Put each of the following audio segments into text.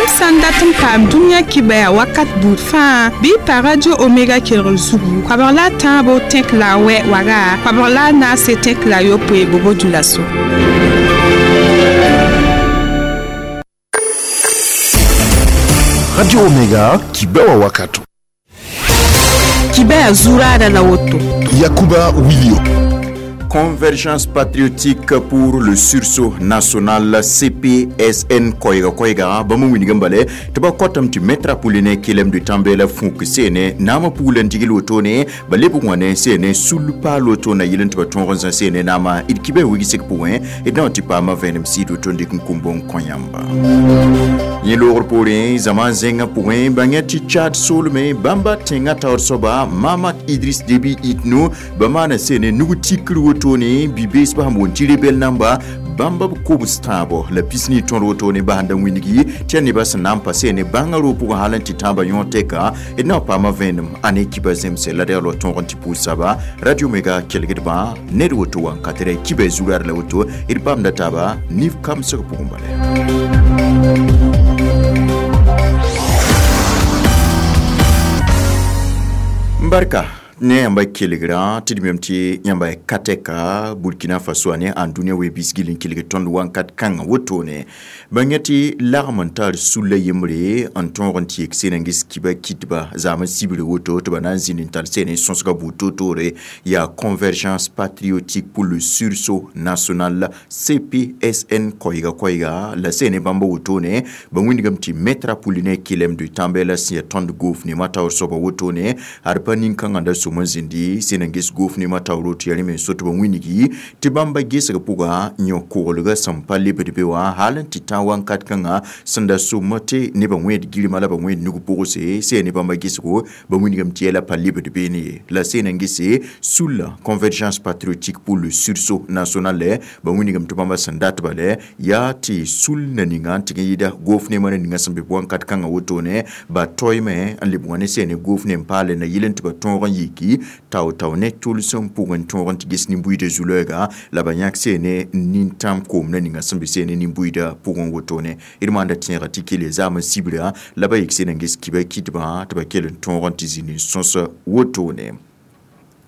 Yãmb sã n dat n paam dũniyã kibaya wakat buud fãa bɩ y pa Radio Omega kelgr zugu koabg la a tãabo tẽk la a wɛ waga koabg la a naase tẽk la a yopoe bobo dulaso. Radio Omega kibewa wakato. Kibaya zuraada la woto. Yakuba Wilio. Convergence patriotique pour le sursaut national CPSN koiga koiga bãmb wilg n bale tɩ ba kotame tɩ maître Apollinaire Kelem de Tambela fũuk seene naamã pugl n digl wotone ba lebg wã ne seene sul paal woto na yɩl n tɩ ba tõog n zã seene naamã d kibã wigsg pʋgẽ d na n tɩ paama vẽenem sɩd woto n dɩk n kũmb n kõ yãmba yẽ loogr poorẽ zãma zẽngã pʋgẽ bãngã tɩ Tchad soolme bãmba tẽngã taoor soaba Mahamat Idriss Déby Itno ba maana seene nug tikr wotone bi-bees ba sẽn boond tɩ rebel namba bãmba b kobs tãabo la pisni tõd wotone basẽnda wĩnigi tɩ yaa nebã sẽn na n pa seene bãngã roog pʋgẽ hal n tɩ tãabã yõ tɛka d na n paama vẽenem a ne kiba zemse la d yaa tõog n tɩ pʋʋs saba Radio Omega kelgdbã ned woto wa n ka tɩ kiba zuraad la woto d paamda taaba nif kamsg pʋgẽ bala. Barka ne yãmba kelgrã tɩ d mem tɩ yãmba ka tɛka Burkina Faso a ne ãndũniyã wee-bisgil n kelg tõnd wãnkat kãngã wotone bãng tɩ lagm n tar sulla yembre n tõog n tɩ yek seen n ges kiba kitba zaam n sibre woto tɩ ba na n zĩnd n tar seen n sõsga buud toor-toore yaa Convergence patriotique pour le sursaut national CPSN koɛɛga koɛɛga la seen bãmba wotone ba wĩndgame tɩ maître Apollinaire Kelem de Tambela sẽn yaa tõnd goof nemã taoor soaba wotone ad pa nin-kãngã da som n zĩndi sẽn n ges goof nemã taoor woto yaa rẽ me so tɩ ba wĩnigi tɩ bãmba gesg pʋga yõ-koglgã sẽn pa lebd be wã hal n tɩ tã wãnkat kãngã sẽn da sʋmã tɩ nebã wẽed gɩrma la ba wẽed nug pʋgse sẽn ne bãmba gesgo ba wĩndgame tɩ yɛla pa lebd beene ye la sẽn n gese sulla Convergence patriotique pour le sursaut national ba wĩndgame tɩ bãmba sẽn dat bale yaa tɩ sul na ninga n tɩg n yɩɩda goof nemã na ninga sẽn be wãnkat kãngã wotone ba toeeme n leb wã ne sẽn ne goof nem paale na yɩl n tɩ ba tõog n yiki tao-tao ne tʋlsem pʋgẽ tõog n tɩ ges nin-buiidã zu-lɛɛga la ba yãk seene nin-tãm koom na ninga sẽn be seene nin-buiidã pʋgẽ wotone d maanda tẽega tɩ kele zaam n sibra la ba yik seen n ges kiba kitbã tɩ ba kell n tõog n tɩ zĩnd n sõs wotone.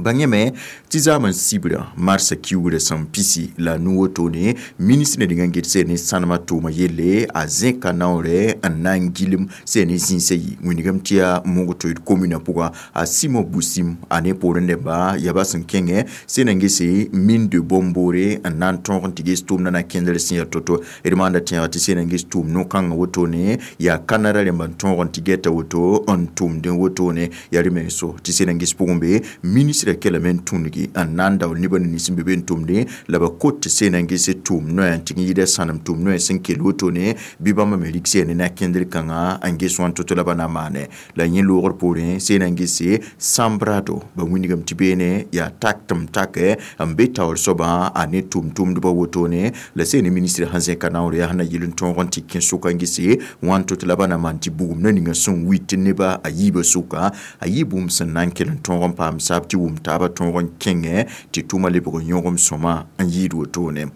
Bãngame tɩ zaam n sibra marsã kiugrã sẽn pisi la nu wotone ministre na ninga n get seen ne sãnemã tʋʋma yelle a zẽka naoorɛ n na n gilem seen ne zĩisã yi wĩndgame tɩ yaa mogto d commune pʋga a Simon Busim a ne poorẽ neba yaa ba sẽn kẽngɛ seen n gese mine de Bomboré n na n tõog n tɩ ges tʋʋmdã na kẽndr sẽn yaa to-to d maanda tẽega tɩ seen n ges tʋʋm no-kãngã wotone yaa Canada rẽmba n tõog n tɩ gɛta woto n tʋmdẽ wotone yaa rẽ me so tɩ seen n ges pʋgẽ be ministre kelame n tũngi n na n daool nebã ne nins n be be n tʋmde la ba kot tɩ seen n gese tʋʋm noya n tɩg n yɩɩda sãnem tʋʋm noya sẽn kell wotone bɩ bãmba me rɩk seene na kẽndr kãngã n ges wã n to-to la ba na maane la yẽ loogr poorẽ seen n gese sambrado ba wĩndgame tɩ beene yaa tak tɩm take n be taoor soabã a ne tʋʋm-tʋmdbã wotone la seene ministre sẽn zẽka naoor yaa sẽn na yɩl n tõog n tɩ kẽ sʋka n gese wã n to-to la ba na maan tɩ bugum na ninga sẽn wit tɩ neba a yiibã sʋka a yɩ bũmb sẽn na n kell n tõog n paam saab tɩ wʋm taaba tõog n kẽngɛ tɩ tʋʋmã lebg n yõgem sõma n yɩɩd wotone.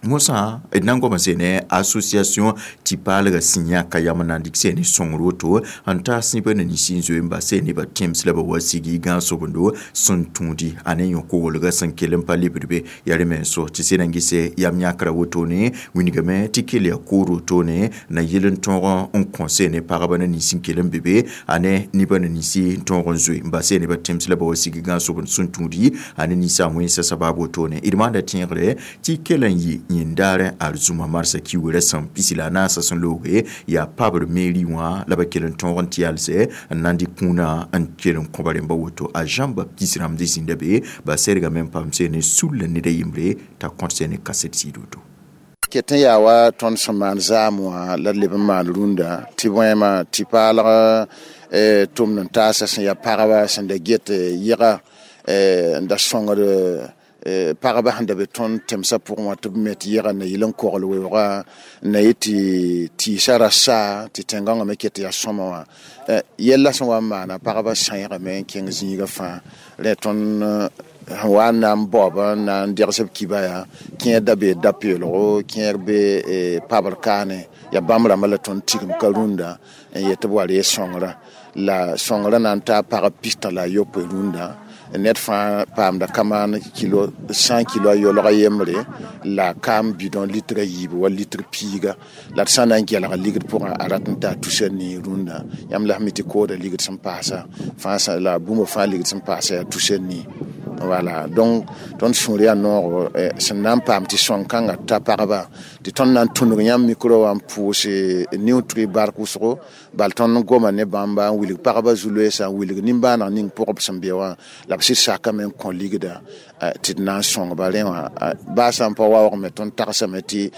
Mosã d na n goama seene association tɩ paalgã sẽn yãka yam n na n dɩk seene sõngr woto n taas neba na ninsi n zoe n bas see nebã tẽms la ba wa sigi gãag-sobendo sẽn tũudi a ne yõ-koglgã sẽn kell n pa lebd be yaa rẽ me n so tɩ sẽn n gese yam yãkrã wotone wĩndgame tɩ kell yaa koor wotone na yɩl n tõog n kõ seene pagba na ninsi n kell n be be a ne nebã na ninsi n tõog n zoe n bas see nebã tẽms la ba wa sigi gãag-sobend sẽn tũudi a ne ninsã wẽnsa sabaab wotone d maanda tẽegre tɩ kell n yɩ yẽndaarẽ arzũma marsã kiugrã sẽn pisi la a naasã sẽn looge yaa pabr mairie wã la ba kell n tõog n tɩ yalsɛ n na n dɩk kũunã n kell n kõba rẽmba woto a Jean Baptiste rãmb dɩ zĩnda be ba sɛrgame n paam seene sulla ned a yembre t'a kõt seene kaset sɩd woto. Ket n yaa wa tõnd sẽn maan zaam wã la d leb n maan rũndã tɩ bõema tɩ paalg tʋmd n taasa sẽn yaa pagba sẽn da get yɩga n da sõngd pagba sẽn da be tõnd tẽmsã pʋgẽ wã tɩ b me tɩ yɩga na yɩl n kogl weoogã na yɩ tɩ tɩɩsã ra saa tɩ tẽn-gãngã me ket yaa sõma wã yɛlla sẽn wa n maana pagba sãeegame n kẽng zĩigã fãa rẽ tõnd Sẽn wa n na n baoob n na n degs b kiba yaa kẽer da bee da-peelgo, kẽer be pabr kaane, yaa bãmb rãmbã la tõnd tigim ka rũndã n yet tɩ b wa reeg sõngrã. La sõngrã na n taa pagb 69 rũndã. Ned fãa paamda kamaan kilo 100 kilo a yolg a yembre la kaam bidon litre a yiibu wa litre piiga. La d sã n na n gelga ligd pʋgã a rat n taa tusa nii rũndã. Yãmb la f mi tɩ kooda ligd sẽn paasa fãa la bũmb fãa ligd sẽn paasa yaa tusa nii. Voilà, donc tõnd sũur yaa noogo sẽn na n paam tɩ sõng-kãngã ta pagba tɩ tõnd na n tũnug yãmb mikro wã n pʋʋs niutrɩ bark wʋsgo, bal tõnd goma ne bãmba n wilg pagba zu-loeesã, n wilg nimbãaneg ning pʋgb sẽn be wã, la b sɩd sakame n kõ ligda tɩ d na n sõngba rẽ wã. Baa sã n pa waoogme, tõnd tagsame tɩ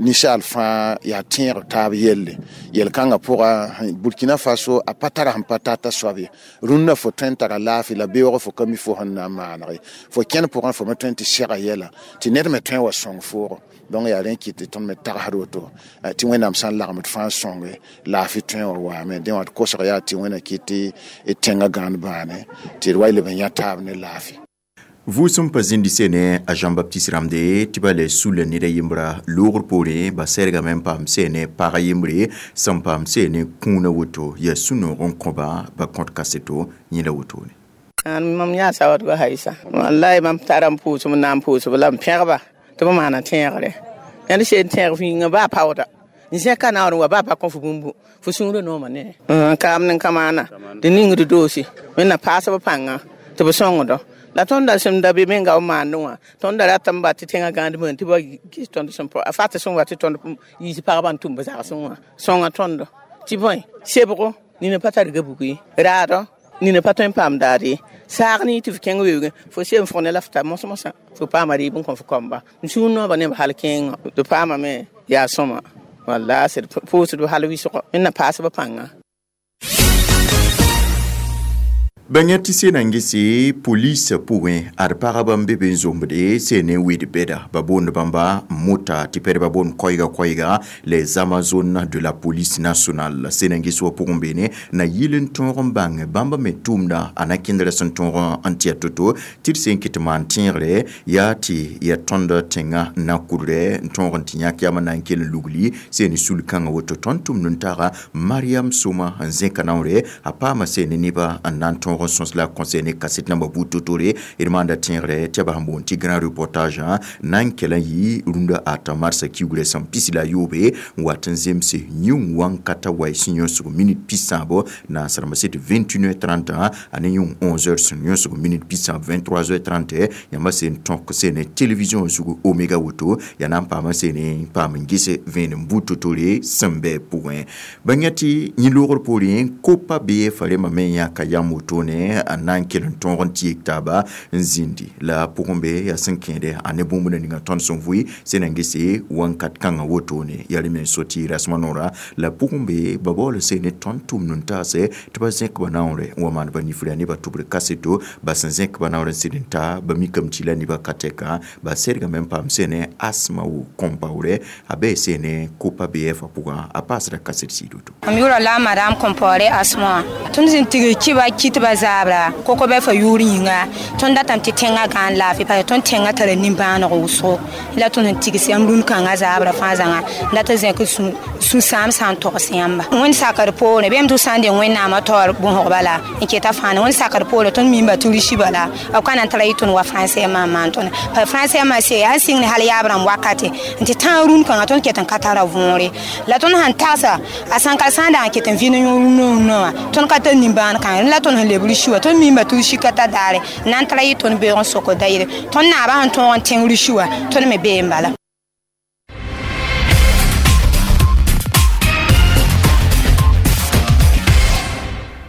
ninsaal fãa yaa tẽeg taab yelle. Yel-kãngã pʋga Burkina Faso a pa tara sẽn pa tata soab ye. Rũndã fo tõe n tara laafɩ la beoog fo ka mi fo sẽn na n maaneg ye. Fo kẽnd pʋgẽ fo me tõe n tɩ sɛga yɛla tɩ ned me tõe n wa sõng foogo. Donc yaa rẽ kɩt tɩ tõnd me tagsd woto tɩ Wẽnnaam sã n lagem d fãa sõnge laafɩ tõe n wa waame. Dẽ wã d kosg yaa tɩ Wẽnna kɩt tɩ d tẽngã gãand bãane tɩ d wa leb n yã taab ne laafɩ. Vʋʋsem pa zĩndi sene a Jean-Baptiste Ramde tɩ ba le sula ned a yembra loogr poorẽ ba sɛrgame n paam sene pag a yembre sẽn paam sene kũuna woto yaa sũ-noog n kõba ba kõt kaseto yẽla wotone. Mam yaa sawadga haisa wallahi mam tara n pʋʋsem n na n pʋʋsb la m pẽgba tɩ b maana tẽegre. Ned seen tẽeg fĩinga baa paooda n zẽka naoor n wa baa pa kõ fo bũmbu fo sũurã nooma ne kaam ne kamaana tɩ ningd doosi wẽnna paasb pãnga tɩ b sõngdo. La tõnd da sẽn da be menga b maandẽ wã, tõnd da ratame ba tɩ tẽngã gãand bõe tɩ ba gis tõnd sẽn pa a fat sẽn wa tɩ tõnd yiis pagba n tʋm b zagsẽ wã sõnga tõndo tɩ bõe sebgo nina pa tar gabug ye, raadɔ nina pa tõe n paam daad ye, saag ne tɩ f kẽng weoogẽ fo sem fʋg ne la f ta mos-mosã fo paama rɩɩb n kõ f kɔmba. N sũur noobã neb hal kẽengã tɩ paamame yaa sõma walla sed pʋʋsd hal wɩsgo wẽnna paasb pãnga. Bãng tɩ sena n gese police pʋgẽ ad pagba n be be n zombde sene wɩd bɛda ba boond bãmba mota tɩ pɛdba boond koɛɛga koɛɛga les amazones de la police nationale. Sena n ges wã pʋgẽ beene na yɩl n tõog n bãng bãmba me tʋʋmda a na kẽndrã sẽn tõog n tɩ to-to tɩ d sẽn kɩt maan tẽegre yaa tɩ ya tõnd tẽngã na kʋdrɛ n tõog n tɩ yãk yam na n kell n lugli seen sul-kãngã woto. Tõnd tʋmd n taga Mariam Soma n zẽka naoore a paama sene nebã n na n tõog sõs la conseil ne kaset namba buud totore d maanda tẽegre tɩ b sẽn boond tɩ grand reportage na n kell n yɩ rũndã ata marsã kiugrã sẽn pis la a yoobe n wat n zemse yĩng wãn-kata waɩ sẽn yõsg minute pisãabo naasrãmbã sɩd 21h30 a ne yĩng 11h sẽn yõsg minute pisãab 23h30. Yãmba sẽn tõk sene télévision zugu Omega woto yaa na n paama sene paam n ges vẽenem buud totore sẽn bɩ pʋgẽ. Bãng tɩ yẽ loogr poorẽ kopa BF rẽmbã me yãka yam wotone a na n kell n tõog n tɩ yek taaba n zĩndi la pʋgẽ be yaa sẽn kẽede a ne bũmb ninga tõnd sẽn vʋɩ sẽn na n gese wãnkat kãngã wotone yaa rẽ me so tɩ rasmã noora la pʋgẽ be ba baool sene tõnd tʋmd n taase tɩ ba zẽk ba naoore n wa maan ba nifra nebã tʋbr kaseto ba sẽn zẽk ba naoor n sɩd n ta ba mikame tɩ la nebã ka tɛka ba sɛrgame n paam sene asma wo Compaoré a bee sene kopa BF pʋgã a paasda kaset sɩd woto. Mam yʋʋra la madame Compaoré Asma. Tõnd sẽn tigr kiba kɩt ba zabra koko bɛ fa yʋʋr yĩnga tõnd datame tɩ tẽngã gãan laafɩ parce tõnd tẽngã tara nimbãaneg wʋsgo la tõnd sẽn tigs yãmb rũn-kãngã zabra fãa zãnga dat zẽk sũ-sãam sã n togs yãmba. Wẽnd sakr poorẽ bɩ tɩ sã n deng Wẽnnaamã taoor bõsg bala n keta fãa wẽnd sakr poorẽ tõnd mimba tɩ risi bala b ka na n tara yɩ tõnd wa français maan maan tõnd pa français maa se yaa sɩng ne hal yaab rãmb wakate n tɩ tãag rũn-kãngã tõnd ket n ka tara võore la tõnd sãn tagsa a sãn ka sã n dag n ket n vɩ ne yõ rũnã wã tõnd ka tar nimbãan kãngre la tõnd sẽn leb risi wã tõnd mimba tɩ risi ka ta daare n na n tara yɩ tõnd beoog n sok da yɩle tõnd naabã sẽn tõog n tẽng risi wã tõnd me bee n bala.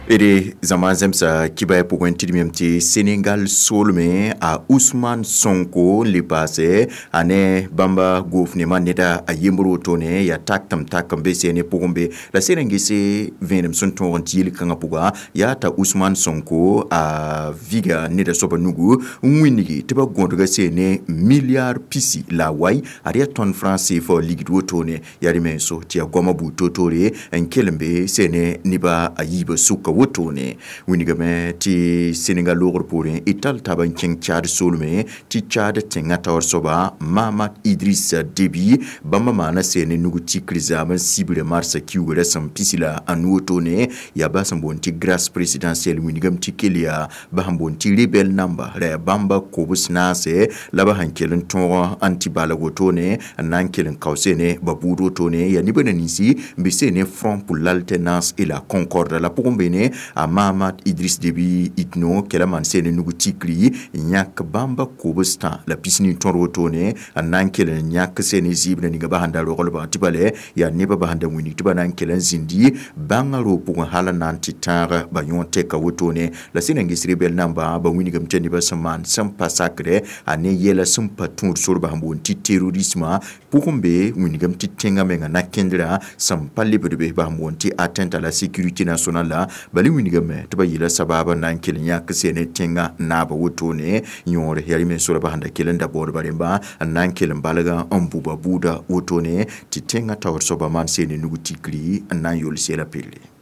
D zãma zẽmsa kibã pʋgẽ tɩ d mem tɩ Senegal soolmẽ a Ousmane Sonko n le paase a ne bãmba goofnemã neda a yembr wotone yaa tak tɩm tak n be sene pʋgẽ be la sẽn n gese vẽenem sẽn tõog n tɩ yel-kãngã pʋga yaa t'a Ousmane Sonko a viga neda soabã nugu n wĩngi tɩ ba gõdga sene milliard pisi la wai ad yaa tõnd franc CFA ligd wotone yaa rẽ me so tɩ yaa goamã buud totore n kell n be sene nebã a yiibã sʋka wotone wingame tɩ Senegal loogr poorẽ y tall taab n kẽng Chad soolmẽ tɩ Chad tẽngã taoor soaba Mahamat Idriss Déby bãmba maana seene nug tikr zaam n sibre marsã kiugrã sẽn pisi la a nu wotone yaa ba sẽn boond tɩ grâce présidentielle wingame tɩ kell yaa ba sẽn boond tɩ rebelle namba ra yaa bãmba kobs naase la ba sẽn kell n tõog n tɩ balg wotone n na n kell n kao seene ba buud wotone yaa nebã na ninsi n be seene Front pour l'alternance et la concorde la pʋgẽ beene a Mahamat Idriss Déby Itno kɛla maan seene nug tikri n yãk bãmba kobs tã la pisni tõd wotone n na n kell n yãk seene zɩɩb na ninga ba sẽn da roglbã tɩ bala yaa nebã ba sẽn da wilg tɩ ba na n kell n zĩndi bãngã roog pʋgẽ hal n na n tɩ tãag ba yõ tɛka wotone la sẽn na n ges rebɛl namba ba wilgame tɩ nebã sẽn maan sẽn pa sakrɛ a ne yɛla sẽn pa tũud sor ba sẽn boond tɩ terrorisme pʋgẽ be wilgame tɩ tẽngã menga na-kẽndrã sẽn pa lebd be ba sẽn boond tɩ atteinte à la sécurité nationale la bala wilgame tɩ ba yeela sabaab n na n kell n yãk seene tẽngã naaba wotone yõor yaa rẽ me sora ba sẽn da kell n da baoodba rẽmba n na n kell n balga n bʋ ba buuda wotone tɩ tẽngã taoor soaba maan seene nug tikri n na n yol sɛla pelle.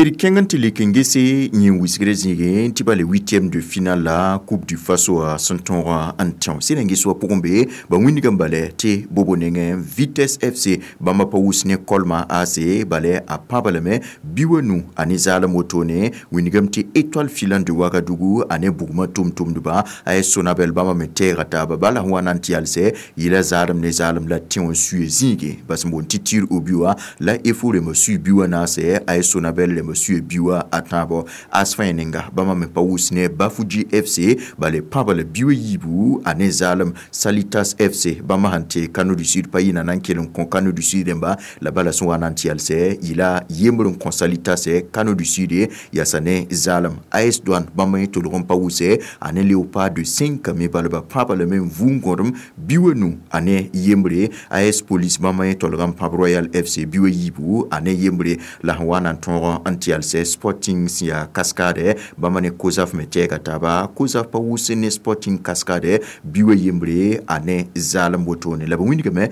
D kẽng n tɩ lek n gese yẽ wisgrã zĩigẽ tɩ bala huitième de finale la Coupe du Faso a sẽn tõog n tẽo sẽn na n ges wã pʋgẽ be ba wĩndgame bala tɩ bobo nengẽ Vitesse FC bãmba pa wʋs ne Kolma AC bala a pãba lame bi wa nu a ne zaalem wotone wĩndgame tɩ Étoile filante de Ouagadougou a ne bugmã tʋm-tʋmdba a ye Sonabel bãmba me tɛɛga taaba bala sẽn wa na n tɩ yalsɛ yɩla zaalem ne zaalem la tẽo n suye zĩigẽ bas n boond tɩ tir au but wã la EFO rẽmba sui bi wã naasɛ a ye Sonabel rẽmba suye bi wã a tãabo asfã ninga bãmba me pa wʋs ne Bafouji FC bala pãba la bi wa yiibu a ne zaalem Salitas FC bãmba sẽn tɩ Kano du Sud pa yɩ na n kell n kõ Kano du Sud rẽmba la bala sẽn wa na n tɩ yalsɛ yɩla yembr n kõ Salitas Kano du Sud yaasa ne zaalem AS Douane bãmba yẽ tolg n pa wʋsɛ a ne Léopard de 5 me balba pãba lame n vʋʋng gõdem bi wa nu a ne yembre AS Police bãmba yẽ tolg n pãb Royal FC bi wa yiibu a ne yembre la sẽn wa na n tõog n tɩ yalsɛ Sporting sẽn yaa Cascade bãmba ne Kozaf me tɛɛga taaba Kozaf pa wʋs ne Sporting Cascade bi wa yembre a ne zaalem wotone la ba wĩndgame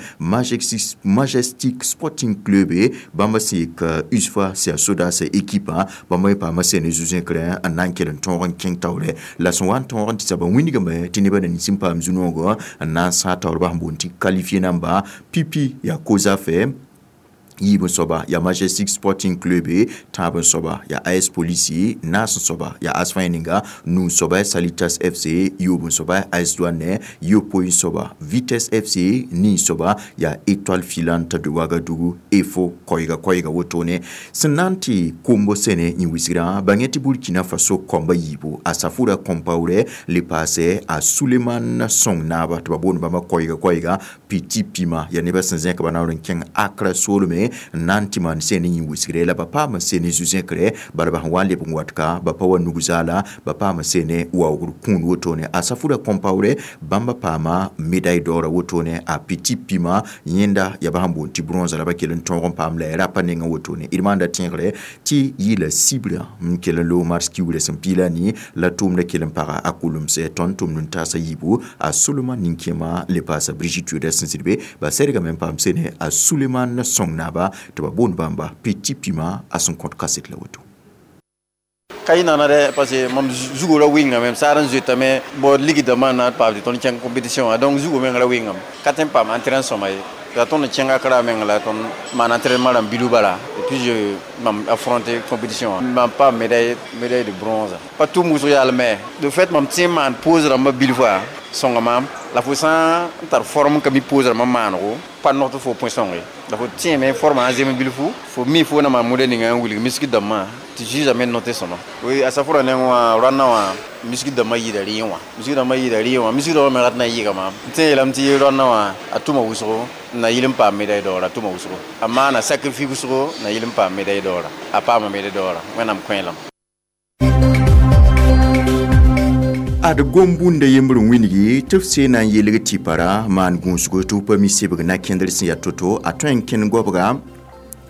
Majestic Sporting Club bãmba sẽn yik USFA sẽn yaa sodaasã équipe bãmba yẽ paama sẽn ne zu-zẽkrã n na n kell n tõog n kẽng taoorɛ la sẽn wa n tõog n tɩ ba wĩndgame tɩ nebã na nins n paam zu-noogã n na n sãag taoor ba sẽn boond tɩ qualifié namba pipi yaa Kozaf yiib n soaba yaa Majestic Sporting Club tãab n soaba yaa AS Police naas n soaba yaa AS Fãa ninga nu n soaba Salitas FC yoob n soaba AS Douane yopoe n soaba Vitesse FC ni n soaba yaa Étoile filante de Ouagadougou EFO koɛɛga koɛɛga wotone sẽn na n tɩ kombo sẽne yẽ wisgrã bãng tɩ Burkina Faso kɔmba yiibu a Safura Compaoré le paasɛ a Suleiman Sõng naaba tɩ ba boond bãmba koɛɛga koɛɛga Petit Pima yaa nebã sẽn zẽk ba naoor n kẽng Accra soolme n na n tɩ maan sẽne yẽ wisgre la ba paam sene zu-zẽkre bala ba sẽn wa n leb n wat ka ba pa wa nug zaala ba paam sene waoogr kũun wotone a Safura Compaoré bãmba paama médaille d'or wotone a Petit Pima yẽnda yaa ba sẽn boond tɩ bronze la ba kell n tõog n paam la ya rapa nengã wotone d maanda tẽegre tɩ yɩla sibrã n kell n loog mars kiugrã sẽn piila ni la tʋʋmdã kell n paga a kulemsɛ tõnd tʋmd n taasa yiibu a Solomon nin-kẽema le paasa Brigitte Yoda sẽn zĩd be ba sɛdgame n paam sene a Suleiman Sõng naaba tɩ ba boond bãmba Petit Pima a sẽn kõt kaset la woto. Ka y nana dɛ parce que mam zugo ra wɩngame m saar n zoetame bao ligdã na paam tɩ tõnd kẽng compétition wã donc zugo meng ra wɩngame ka tõe n paam entrain sõma ye la tõnd n kẽnga kra meng la tõnd maan entraînement rãmb bilu bala et puis je mam affronter compétition wã mam paam médaille de bronze pa tʋm wʋsg yaalme de fait mam tẽ n maan pose rãmbã bilfã sõnga maam la fo sã n tar forme ka mi pose rãmbã maanego pa nog tɩ fo põe sõnge la fo tẽeme forme a zem bilfu fo mi fo na maan modèle ninga n wilg misk dãmbã tɩ juge me note sõma oui a safura neng wã rãnnã wã misk dãmbã yɩɩda rɩẽ wã misk dãmbã yɩɩda rɩẽ wã misk dãmbã me rat na n yɩɩga maam n tẽ yeelame tɩ rãnnã wã a tʋma wʋsgo na yɩl n paam médaille d'or a tʋma wʋsgo a maana sacrifice wʋsgo na yɩl n paam médaille d'or a paama médaille d'or wẽnnaam kõe lame. Ad gom-bũnda yembr n wilgi tɩ f seena n yelg tɩ para maan gũusgo tɩ f pa mi sebg na-kẽndr sẽn yaa to-to a tõe n kẽnd goabga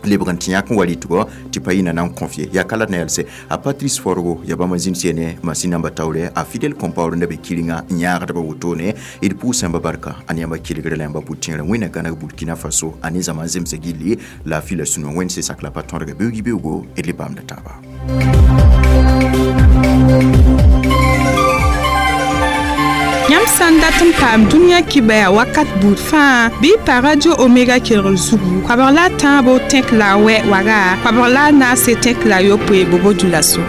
Lebg n tɩ yãk n wa rɩtgɔ tɩ pa yĩna na n kõf ye yaa ka la d na yelse a Patrice Forgo ya bãmb n zĩnd sene masin namba taoore a Fidel Compaoré n da be kɩrenga n yãagdbã wotone. D pʋʋs yãmba barka a ne yãmba kelgre la yãmba pʋ-tẽerã. Wẽnna gãneg Burkina Faso a ne zãma n zemsa gilli laafɩ la sũ-noog. Wẽnd se sak la pa tõdga beoog beoogo d le paamda taaba. Yãmb sã n dat n paam dũniyã kibaya wakat buud fãa bɩ y pa Radio Omega kelgr zugu koabg la a tãabo tẽk la a wɛ waga koabg la a naase tẽk la a yopoe bobo dulaso.